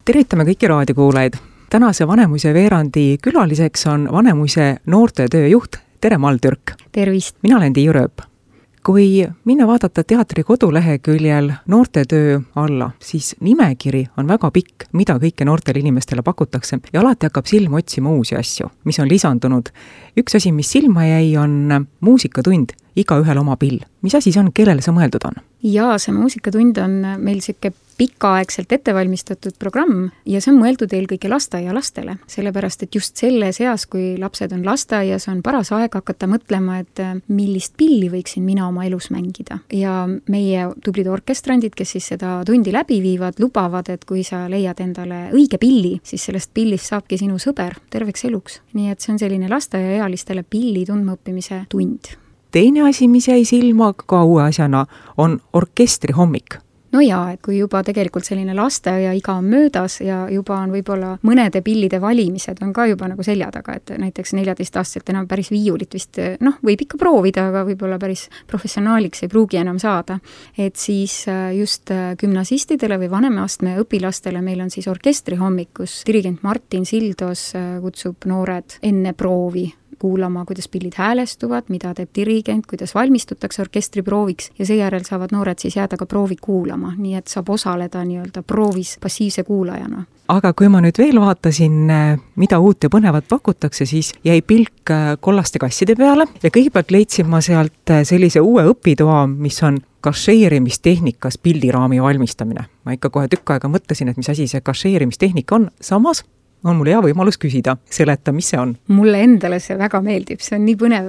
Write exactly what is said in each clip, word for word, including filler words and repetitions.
tervitame kõiki raadiokuulajaid. Tänase Vanemuise veerandi külaliseks on Vanemuise noortetöö juht Tere Maldürk. Tervist! Mina olen Tiiu Rööp. Kui minna vaadata teatri koduleheküljel noortetöö alla, siis nimekiri on väga pikk, mida kõike noortele inimestele pakutakse ja alati hakkab silma otsima uusi asju, mis on lisandunud. Üks asi, mis silma jäi, on muusikatund, igaühel oma pill. Mis asi see on, kellele see mõeldud on? Jaa, see muusikatund on meil siuke pikaaegselt ettevalmistatud programm ja see on mõeldud eelkõige lasteaialastele, sellepärast et just selles eas, kui lapsed on lasteaias, on paras aeg hakata mõtlema, et millist pilli võiksin mina oma elus mängida. Ja meie tublid orkestrandid, kes siis seda tundi läbi viivad, lubavad, et kui sa leiad endale õige pilli, siis sellest pillist saabki sinu sõber terveks eluks. Nii et see on selline lasteaiaealistele pilli tundmaõppimise tund. Teine asi, mis jäi silma ka uue asjana, on orkestri hommik. No jaa, et kui juba tegelikult selline lasteaia iga on möödas ja juba on võib-olla mõnede pillide valimised on ka juba nagu selja taga, et näiteks neljateistaastaselt enam päris viiulit vist, noh, võib ikka proovida, aga võib-olla päris professionaaliks ei pruugi enam saada. Et siis just gümnasistidele või vanemaastme õpilastele meil on siis orkestri hommik, kus dirigent Martin Sildos kutsub noored enne proovi kuulama, kuidas pillid häälestuvad, mida teeb dirigent, kuidas valmistutakse orkestriprooviks ja seejärel saavad noored siis jääda ka proovi kuulama, nii et saab osaleda nii-öelda proovis passiivse kuulajana. Aga kui ma nüüd veel vaatasin, mida uut ja põnevat pakutakse, siis jäi pilk kollaste kasside peale ja kõigepealt leidsin ma sealt sellise uue õpitoa, mis on kašeerimistehnikas pildiraami valmistamine. Ma ikka kohe tükk aega mõtlesin, et mis asi see kašeerimistehnika on, samas on mul hea võimalus küsida, seleta, mis see on? Mulle endale see väga meeldib, see on nii põnev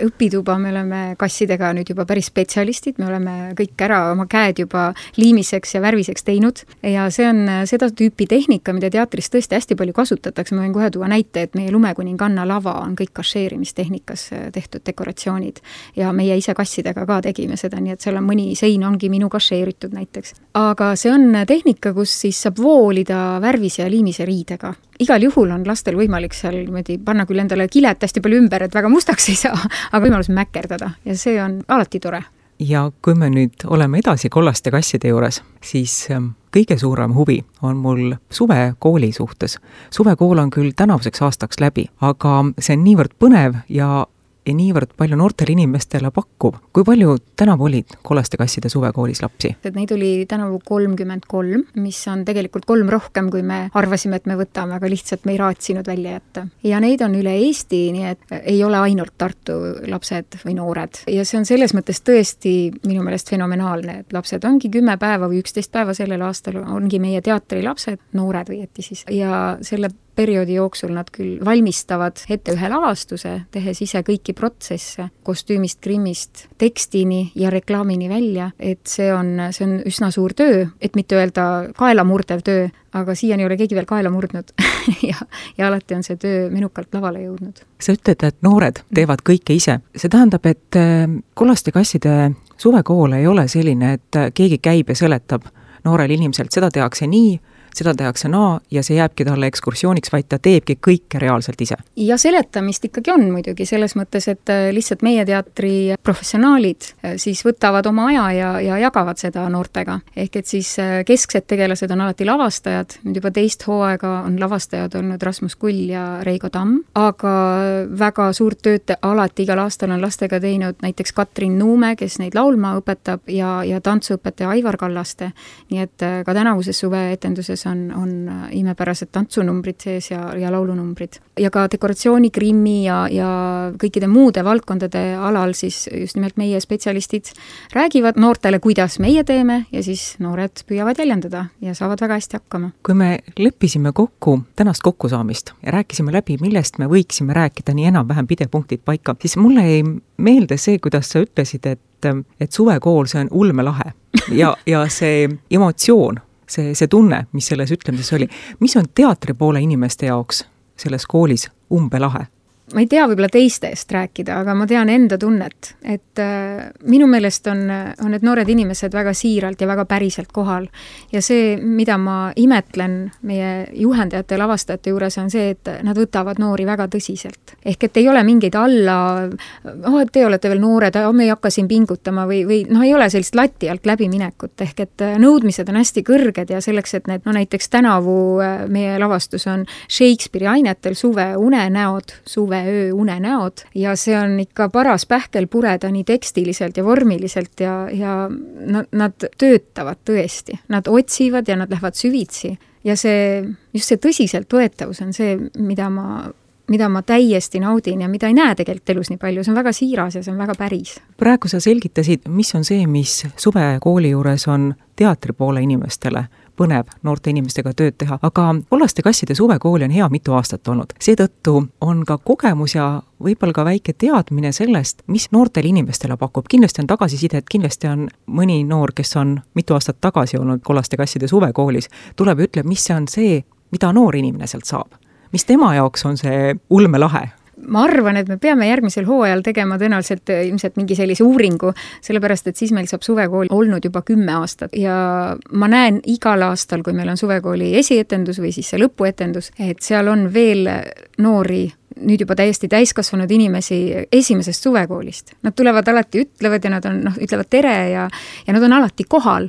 õpituba, me oleme kassidega nüüd juba päris spetsialistid, me oleme kõik ära oma käed juba liimiseks ja värviseks teinud ja see on seda tüüpi tehnika, mida teatris tõesti hästi palju kasutatakse, ma võin kohe tuua näite, et meie Lumekuninganna lava on kõik kašeerimistehnikas tehtud dekoratsioonid ja meie ise kassidega ka tegime seda, nii et seal on mõni sein ongi minu kašeeritud näiteks. Aga see on tehnika, kus siis saab voolida värvise ja liimise riidega. Igal juhul on lastel võimalik seal niimoodi panna küll endale kilet hästi palju ümber, et väga mustaks ei saa, aga võimalus mäkerdada ja see on alati tore. Ja kui me nüüd oleme edasi kollaste kasside juures, siis kõige suurem huvi on mul suvekooli suhtes. Suvekool on küll tänavuseks aastaks läbi, aga see on niivõrd põnev ja ja niivõrd palju noortele inimestele pakkub. Kui palju tänavu olid kollaste kasside suvekoolis lapsi? Et neid oli tänavu kolmkümmend kolm, mis on tegelikult kolm rohkem, kui me arvasime, et me võtame, aga lihtsalt me ei raatsinud välja jätta. Ja neid on üle Eesti, nii et ei ole ainult Tartu lapsed või noored. Ja see on selles mõttes tõesti minu meelest fenomenaalne, et lapsed ongi kümme päeva või üksteist päeva sellel aastal ongi meie teatri lapsed, noored või eti siis. Ja selle perioodi jooksul nad küll valmistavad ette ühe lavastuse, tehes ise kõiki protsesse, kostüümist, grimmist, tekstini ja reklaamini välja, et see on, see on üsna suur töö, et mitte öelda kaelamurdev töö, aga siiani ei ole keegi veel kaela murdnud ja, ja alati on see töö menukalt lavale jõudnud. Sa ütled, et noored teevad kõike ise. See tähendab, et kollaste kasside suvekool ei ole selline, et keegi käib ja seletab noorel inimeselt, seda tehakse nii, seda tehakse naa ja see jääbki talle ekskursiooniks, vaid ta teebki kõike reaalselt ise. Ja seletamist ikkagi on muidugi selles mõttes, et lihtsalt meie teatri professionaalid siis võtavad oma aja ja, ja jagavad seda noortega. Ehk et siis kesksed tegelased on alati lavastajad, nüüd juba teist hooaega on lavastajad olnud Rasmus Kull ja Reigo Tamm, aga väga suurt tööd alati igal aastal on lastega teinud näiteks Katrin Nuume, kes neid laulma õpetab ja, ja tantsuõpetaja Aivar Kallaste, nii et ka tänavuses suveetenduses on, on imepärased tantsunumbrid sees ja, ja laulunumbrid. Ja ka dekoratsiooni, grimmi ja, ja kõikide muude valdkondade alal siis just nimelt meie spetsialistid räägivad noortele, kuidas meie teeme ja siis noored püüavad jäljendada ja saavad väga hästi hakkama. Kui me leppisime kokku tänast kokkusaamist ja rääkisime läbi, millest me võiksime rääkida nii enam-vähem pidepunktid paika, siis mulle ei meelde see, kuidas sa ütlesid, et, et suvekool see on ulmelahe ja, ja see emotsioon, see, see tunne, mis selles ütlemises oli. Mis on teatri poole inimeste jaoks selles koolis umbelahe? ma ei tea võib-olla teiste eest rääkida, aga ma tean enda tunnet, et äh, minu meelest on, on need noored inimesed väga siiralt ja väga päriselt kohal. Ja see, mida ma imetlen meie juhendajate ja lavastajate juures, on see, et nad võtavad noori väga tõsiselt. Ehk et ei ole mingeid alla, oh, et te olete veel noored, me ei hakka siin pingutama või, või noh, ei ole sellist lati alt läbiminekut. Ehk et nõudmised on hästi kõrged ja selleks, et need, no näiteks tänavu meie lavastus on Shakespeare'i ainetel suve unenäod, suve öö unenäod ja see on ikka paras pähkel pureda nii tekstiliselt ja vormiliselt ja, ja nad, nad töötavad tõesti. Nad otsivad ja nad lähevad süvitsi ja see, just see tõsiselt võetavus on see, mida ma, mida ma täiesti naudin ja mida ei näe tegelikult elus nii palju. See on väga siiras ja see on väga päris. Praegu sa selgitasid, mis on see, mis suvekooli juures on teatri poole inimestele põnev noorte inimestega tööd teha, aga Kollaste kasside suvekooli on hea mitu aastat olnud. Seetõttu on ka kogemus ja võib-olla ka väike teadmine sellest, mis noortele inimestele pakub. Kindlasti on tagasisidet, kindlasti on mõni noor, kes on mitu aastat tagasi olnud Kollaste kasside suvekoolis, tuleb ja ütleb, mis see on see, mida noor inimene sealt saab. Mis tema jaoks on see ulmelahe? Ma arvan, et me peame järgmisel hooajal tegema tõenäoliselt ilmselt mingi sellise uuringu, sellepärast, et siis meil saab suvekool olnud juba kümme aastat ja ma näen igal aastal, kui meil on suvekooli esietendus või siis see lõpuetendus, et seal on veel noori, nüüd juba täiesti täiskasvanud inimesi esimesest suvekoolist. Nad tulevad alati, ütlevad ja nad on, noh, ütlevad tere ja, ja nad on alati kohal.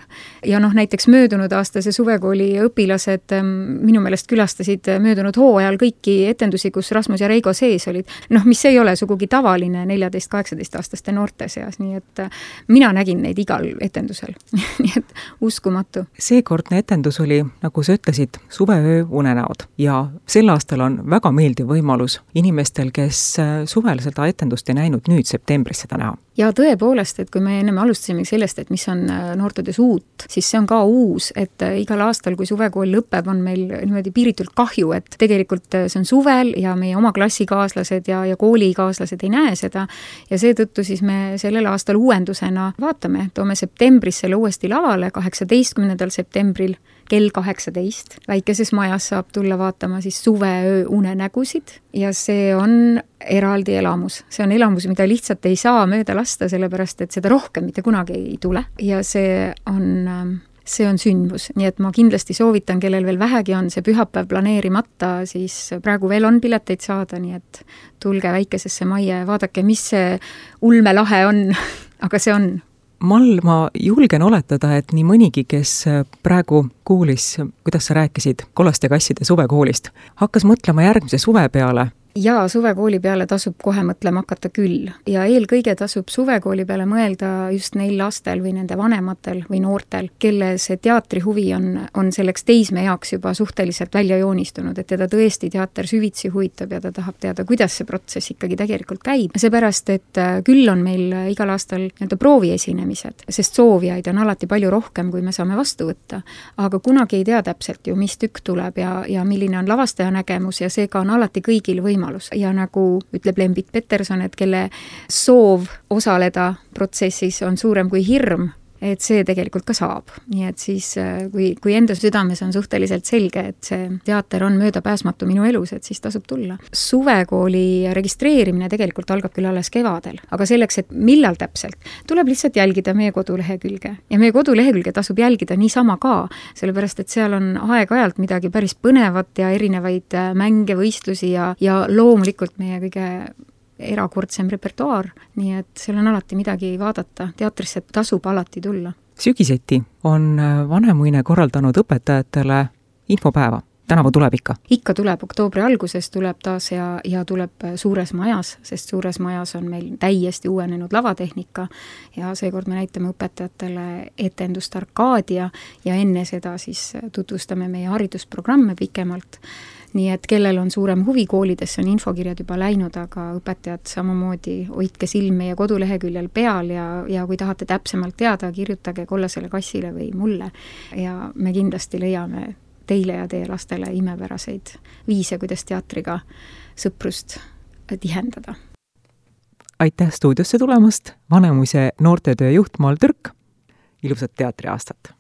Ja noh, näiteks möödunud aasta see suvekooli õpilased minu meelest külastasid möödunud hooajal kõiki etendusi, kus Rasmus ja Reigo sees olid. Noh, mis ei ole sugugi tavaline neljateist kaheksateist aastaste noorte seas, nii et mina nägin neid igal etendusel. Nii et uskumatu. Seekordne etendus oli, nagu sa ütlesid, suveöö unenäod ja sel aastal on väga meeldiv võimalus inimestel, kes suvel seda etendust ei näinud, nüüd septembris seda näha. Ja tõepoolest, et kui me enne alustasime sellest, et mis on noortedes uut, siis see on ka uus, et igal aastal, kui suvekool lõpeb, on meil niimoodi piiritult kahju, et tegelikult see on suvel ja meie oma klassikaaslased ja, ja koolikaaslased ei näe seda ja seetõttu siis me sellel aastal uuendusena vaatame, toome septembris selle uuesti lavale, kaheksateistkümnendal septembril kell kaheksateist. Väikeses majas saab tulla vaatama siis suveöö unenägusid ja see on eraldi elamus. See on elamus, mida lihtsalt ei saa mööda lasta, sellepärast et seda rohkem mitte kunagi ei tule ja see on, see on sündmus. Nii et ma kindlasti soovitan, kellel veel vähegi on see pühapäev planeerimata, siis praegu veel on pileteid saada, nii et tulge väikesesse majja ja vaadake, mis see ulmelahe on, aga see on. Mall, ma julgen oletada, et nii mõnigi, kes praegu kuulis, kuidas sa rääkisid Kollaste kasside suvekoolist, hakkas mõtlema järgmise suve peale. Ja suvekooli peale tasub kohe mõtlema hakata küll. Ja eelkõige tasub suvekooli peale mõelda just neil lastel või nende vanematel või noortel, kelle see teatri huvi on, on selleks teisme jaoks juba suhteliselt välja joonistunud, et teda tõesti teater süvitsi huvitab ja ta tahab teada, kuidas see protsess ikkagi tegelikult käib. Seepärast, et küll on meil igal aastal nii-öelda prooviesinemised, sest soovijaid on alati palju rohkem, kui me saame vastu võtta. Aga kunagi ei tea täpselt ju, mis tükk tuleb ja, ja milline on lavastaja nägemus ja seega on alati kõigil võimalus. Ja nagu ütleb Lembit Peterson, et kelle soov osaleda protsessis on suurem kui hirm, et see tegelikult ka saab. Nii et siis, kui, kui enda südames on suhteliselt selge, et see teater on möödapääsmatu minu elus, et siis tasub tulla. Suvekooli registreerimine tegelikult algab küll alles kevadel, aga selleks, et millal täpselt, tuleb lihtsalt jälgida meie kodulehekülge. Ja meie kodulehekülge tasub jälgida niisama ka, sellepärast, et seal on aeg-ajalt midagi päris põnevat ja erinevaid mänge, võistlusi ja, ja loomulikult meie kõige erakordsem repertuaar, nii et seal on alati midagi vaadata, teatrisse tasub alati tulla. Sügiseti on Vanemuine korraldanud õpetajatele infopäeva. Tänavu tuleb ikka? Ikka tuleb, oktoobri alguses tuleb taas ja, ja tuleb suures majas, sest suures majas on meil täiesti uuenenud lavatehnika ja seekord me näitame õpetajatele etendust Arkadia ja enne seda siis tutvustame meie haridusprogramme pikemalt. Nii et kellel on suurem huvi koolidesse, on infokirjad juba läinud, aga õpetajad samamoodi hoidke silm meie koduleheküljel peal ja, ja kui tahate täpsemalt teada, kirjutage Kollasele kassile või mulle ja me kindlasti leiame teile ja teie lastele imepäraseid viise, kuidas teatriga sõprust tihendada. Aitäh stuudiosse tulemast, Vanemuise noortetöö juht Mall Türk, ilusat teatriaastat!